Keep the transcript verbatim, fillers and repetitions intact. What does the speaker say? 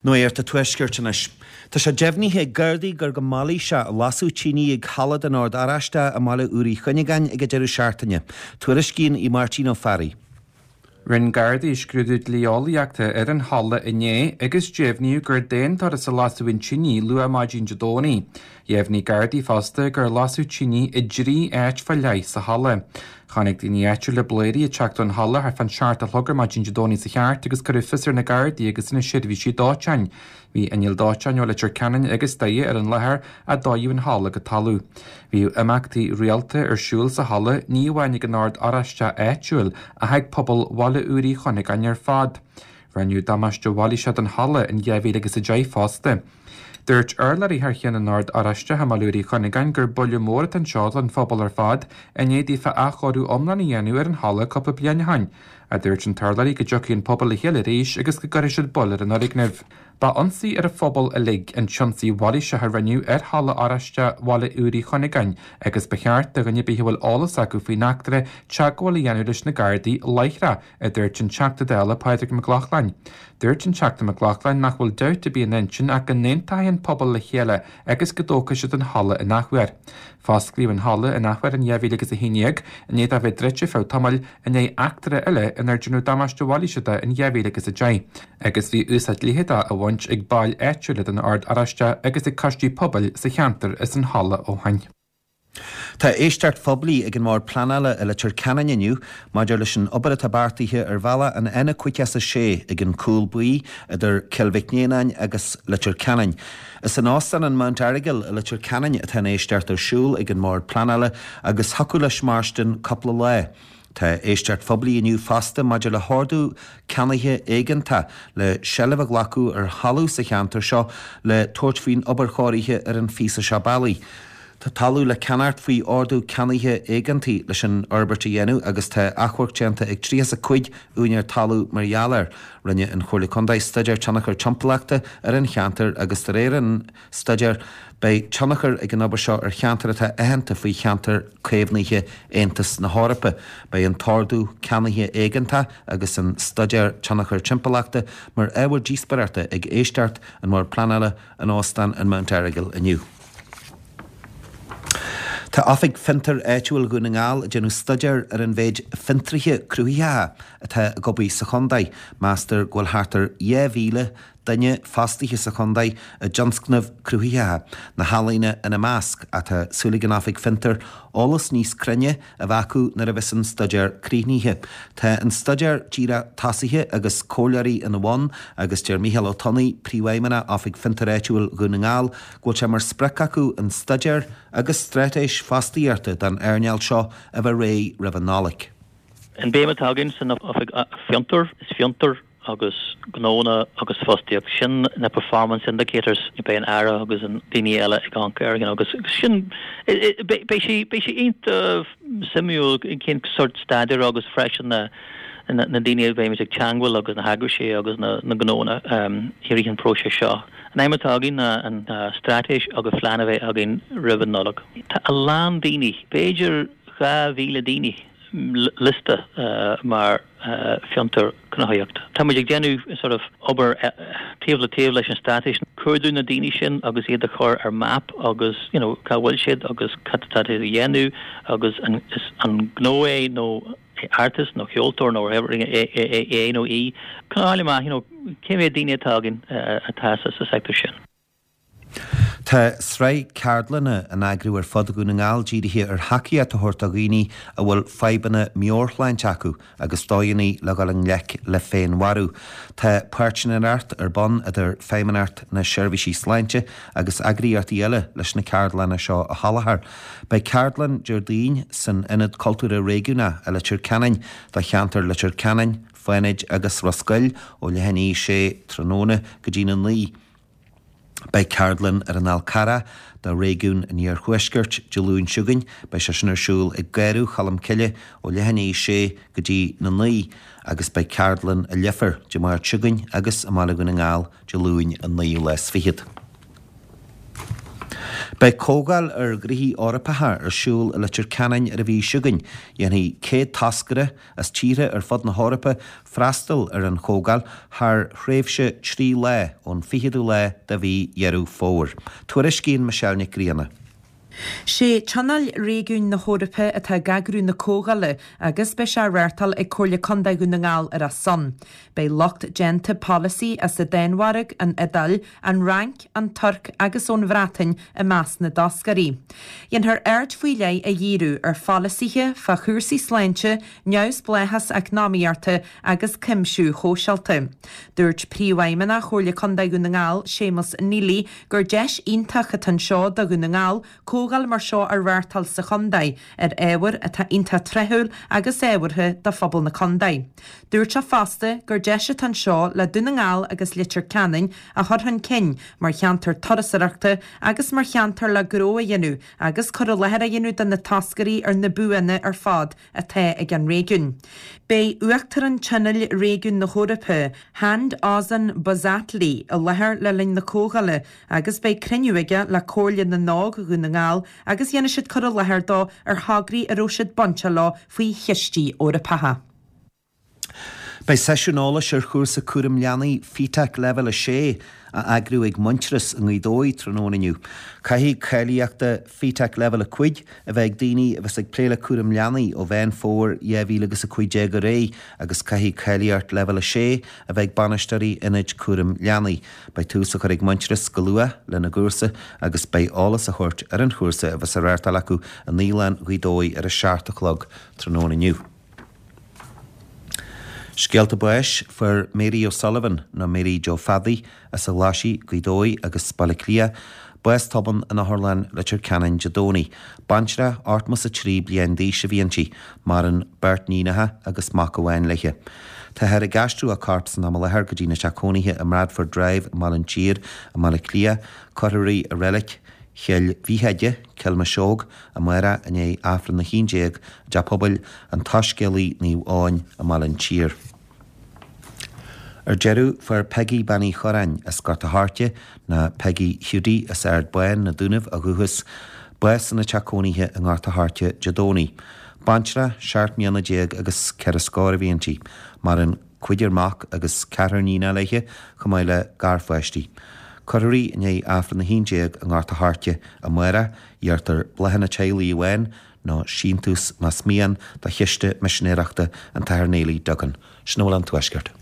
Nuacht an Tuaiscirt anois. Tá sé deimhnithe ag Gardaí gur go mailíseach a lasadh tine ag halla den Ord Oráisteach i mBaile Úr Uí Chuinneagáin ag an deireadh seachtaine. Tuairiscíonn í Máirtín Ó Fearraigh. Rinne Gardaí scrúdú dlí-eolaíochta ar an halla inné agus deimhníodh gur d'aon turas a lasadh an tine luath maidin Dé Domhnaigh. Dheimhnigh Gardaí fosta gur lasadh tine i dtrí áit fá leith sa halla. Chonaic daoine áitiúla blairí ag teacht ón halla thart fán seacht a chlog ar maidin Dé Domhnaigh sa cheart agus cuireadh fios ar na Gardaí agus na seirbhísí dóiteáin. Bhí innill dóiteáin ó Leitir Ceanainn agus Doire ar an láthair a dódh an halla go talamh. Bhí imeachtaí rialta ar siúl sa halla ní amháin ag an Ord Oráisteach áitiúil ach ag pobal Bhaile Úr Uí Chuinneagáin ar fad. Rinneadh damáiste mhailíseach don halla in dhá mhíle agus a deich fosta. Dúirt urlabhraí thar cheann an Ord Oráisteach i mBaile Úr Uí Chuinneagáin gur buille mór atá anseo don phobal ar fad i ndiaidh daofa athchóiriú iomlán a dhéanamh ar an halla cúpla bliain ó shin. A dúirt an t-urlabhraí go dtiocfaidh an pobal le chéile arís agus go gcuirfidh siad bail ar an fhoirgneamh. Ba ionsaí ar an phobal uilig an t-ionsaí mhailíseach a rinneadh ar halla Oráisteach Bhaile Úr Uí Chuinneagáin agus ba cheart do dhuine ar bith a bhfuil eolas acu faoin eachtra teagmháil a dhéanamh leis na Gardaí láithreach, a dúirt an Teachta Dála Pádraig Mac Lochlainn. Dúirt an Teachta Mac Lochlainn nach bhfuil dabht ar bith ina intinn ach go n-aontóidh an pobal le chéile agus go dtógfaidh siad an halla in athuair. Fosclaíodh an halla in athuair in dhá mhíle agus a haon déag i ndiaidh dó bheith druidte feadh tamaill i ndiaidh eachtra eile inar déanadh damáiste mhailíseach de in dhá mhíle agus a deich, agus bhí úsáid leitheadach á bhaint ag baill áitiúla den Ord Oráisteach agus ag coistí pobail sa cheantar as an halla ó shin. Tá éisteacht phoiblí ag an mBord Pleanála i Leitir Ceanainn inniu maidir leis an obair atá beartaithe ar bhealach an N cúig is a sé ag an Cúl Buí idir Cill Mhic Néanáin agus Leitir Ceanainn. Is in Óstán an Mount Errigal i Leitir Ceanainn atá an éisteacht ar siúl ag an mBord Pleanála agus thiocfadh leis mairstin cúpla lá. Tá éisteacht phoiblí inniu fosta maidir le hordú ceannaithe éigeantach le seilbh a ghlacadh ar thalamh sa cheantar seo le tabhairt faoin obair chóirithe ar an phíosa seo bealaigh. Tá talamh le ceannacht faoi ordú ceannaithe éigeantaigh leis an fhorbairt a dhéanamh agus tá achomharc déanta ag tríocha is a cúig úinéir talún mar gheall air. Rinne an Chomhairle Contae staidéar tionchar timpeallachta ar an cheantar agus de réir an staidéir beidh tionchar ag an obair seo ar cheantar atá aitheanta faoi cheantar caomhnaithe Aontas na hEorpa. Beidh an t-ordú ceannaithe éigeantach agus an staidéar tionchar timpeallachta mar ábhar díospóireachta ag éisteacht an Bhoird Pleanála in Óstán an Mount Errigal inniu. Tá Oifig Fiontar Áitiúil Dhún na nGall ag déanamh staidéar ar an mhéid fiontraithe cruthaitheacha atá ag obair sa chontae. Meastar go bhfuil thart ar dhá mhíle duine fostaithe sa chontae i dtionscnaimh cruthaitheacha, na healaíona ina measc, ach tá súil ag an Oifig Fiontar eolas níos cruinne a bheith acu nuair a bheas an staidéar críochnaithe. Tá an staidéar díreach tosaithe agus comhairleoirí ina bhun agus deir Mícheál Ó Tonnaigh, Príomhfheidhmeannach Oifig Fiontar Áitiúil Dhún na nGall, go bhfuil sé mar sprioc acu an staidéar agus straitéis fostaíochta don earnáil seo a bheith réidh roimh an Nollaig. An béim atá againn san Oifig Fiontar, is fiontar agus gnónna agus fostaíocht, sin na performance indicators beidh an Aire agus an daoine eile ag amharc air, you know, agus sin beidh sé beidh sé iontach suimiúil cén sórt staidéar agus freisin na na daoine a bheimid ag teagmháil agus na heagraisí agus na na gnónna um, i rith an próiseas seo. An aidhm atá againn ná an straitéis agus plean a bheith againn roimh an Nollaig. Tá a lán daoine, b'fhéidir dhá mhíle daoine liosta mar fiontar cruthaitheacht. Tá muid ag déanamh sort of obair taobh le taobh leis an straitéis, cuardú na daoine sin agus iad a chur ar map agus you know, cá bhfuil siad agus cad atá siad a dhéanamh agus an, is an gnó é nó artist nó ceoltóir nó é é nó í. Chun a fháil amach you know, cé mhéad daoine atá againn atá sa sa sector sin. Tá sraith ceardlanna á n-eagrú ar fud Dhún na nGall dírithe ar thacaíocht a thabhairt do dhaoine a bhfuil fadhbanna meabhairshláinte acu agus dóigheanna le dhul i ngleic le féinmharú. Tá páirtnéireacht ar bun idir Feidhmeannacht na Seirbhísí Sláinte agus eagraíochtaí eile leis na ceardlanna seo a sholáthar. Beidh ceardlann Déardaoin san Ionad Cultúrtha Réigiúnach i Leitir Ceanainn do cheantar Leitir Ceanainn, Fánaid agus Ros Goill ó leath i ndiaidh a sé tráthnóna go dtí na naoi. Beidh ceardlann ar an Fhál Carrach do réigiún an Iarthuaiscirt Dé Luain seo chugainn. Beidh sé sin ar siúl ag Gáradh Cholm Cille ó leath i ndiaidh a sé go dtí na naoi agus beidh ceardlann i Leifear Dé Máirt seo chugainn agus i mBaile Dhún na nGall Dé Luain an naoú lá is fichead. Beidh comhdháil ar ghnoithí Eorpacha ar siúl i Leitir Ceanainn ar an mhí seo chugainn. Dhéanfaidh céad toscaire as tíortha ar fud na hEorpa freastal ar an chomhdháil thar thréimhse trí lá ón fichiú lá de mhí Dheireadh Fómhair. Tuairiscíonn Michelle Nic Grianna. Sé Tionól Réigiúin na hEorpa atá ag eagrú na comhdhála agus beidh sé á reáchtáil ag Comhairle Contae Dhún na nGall ar a son. Beidh lucht déanta polasaí as an Danmhairg, an Iodáil, an Fhrainc, an Tuirc agus ón Bhreatain i measc na dtoscairí. Dhéanfar aird faoi leith a dhíriú ar pholasaithe fá chúrsaí sláinte, neamhspleáchas eacnamaíochta agus cuimsiú shóisialta. Dúirt Príomhfheidhmeannach Chomhairle Contae Dhún na nGall, Séamus Neely, gur deis iontach atá anseo do Dhún na nGall comhdháil mar seo a reáchtáil sa chontae ar ábhar atá iontach tráthúil agus ábhartha do phobal na contae. Dúirt sé fosta gur deis atá anseo le Dún na nGall agus Leitir Ceanainn a chur chun cinn mar cheantar turasóireachta agus mar cheantar le gnó a dhéanamh agus cur i láthair a dhéanamh do na toscairí ar na buanna ar fad atá ag an réigiún. Beidh Uachtarán Tionól Réigiún na hEorpa, Hande Ozan Bozatli, i láthair le linn na comhdhála agus beidh cruinniú aige le Comhairle na nÓg Dhún na nGall agus dhéanfaidh siad cur i láthair dó ar thograí a raibh siad bainte leo faoi chistí Eorpacha. Beidh seisiún eolais ar chúrsa cúram leanaí FETAC Leibhéal a sé á eagrú ag Muintearas i nGaoth Dobhair tráthnóna inniu. Caithfidh cáilíocht FETAC Leibhéal a cúig a bheith ag daoine a bheas ag plé le cúram leanaí ó Mheán Fómhair dhá mhíle agus a cúig déag ar aghaidh agus caithfidh cáilíocht Leibhéal a sé a bheith ag bainisteoirí ionaid cúram leanaí. Beidh tús á chur ag Muintearas go luath lena gcúrsa agus beidh eolas á thabhairt ar an chúrsa a bheas á reáchtáil acu i Naíolann Ghaoth Dobhair ar a seacht a chlog tráthnóna inniu. Scéalta báis fuair Mary O'Sullivan nó Mary Joe Phaddy as an Ghlaisigh, Gaoth Dobhair agus Baile Átha Cliath, bás tobann in Otharlann Leitir Ceanainn Dé Domhnaigh. Baintreach ochtó is a trí bliain d'aois a bhí inti, maireann beirt níonacha agus mac amháin léi. Táthar ag aistriú a corp san am i láthair go dtí a teach cónaithe i mBradford Drive i mBaile an tSír i mBaile Átha Cliath, cuirfear í i reilig Chill Mhícheide, Cill Mhiseog, amárach i ndiaidh Aifreann a haon déag i dTeach Pobail an tSoiscéalaí Naomh Eoin i mBaile an tSír. Ar deireadh fuair Peggy Bean Uí Chorráin as Gort a' Choirce ná Peggy Hiúdaí as Ard Bán na Dúnaibh ó dhúchas, bás ina teach cónaithe i nGort a' Choirce Dé Domhnaigh. Baintreach seacht mbliana déag agus ceithre scór a bhí inti, maireann cúigear mac agus ceathrar níonacha léi chomh maith le garpháistí. Cuirfear í i ndiaidh Aifreann a haon déag i nGort a' Choirce amárach, iarrtar bláthanna teaghlaigh amháin nó síntiús más mian do chiste misinéireachta an tAthair Neily Duggan. Sin a bhfuil ón Tuaisceart.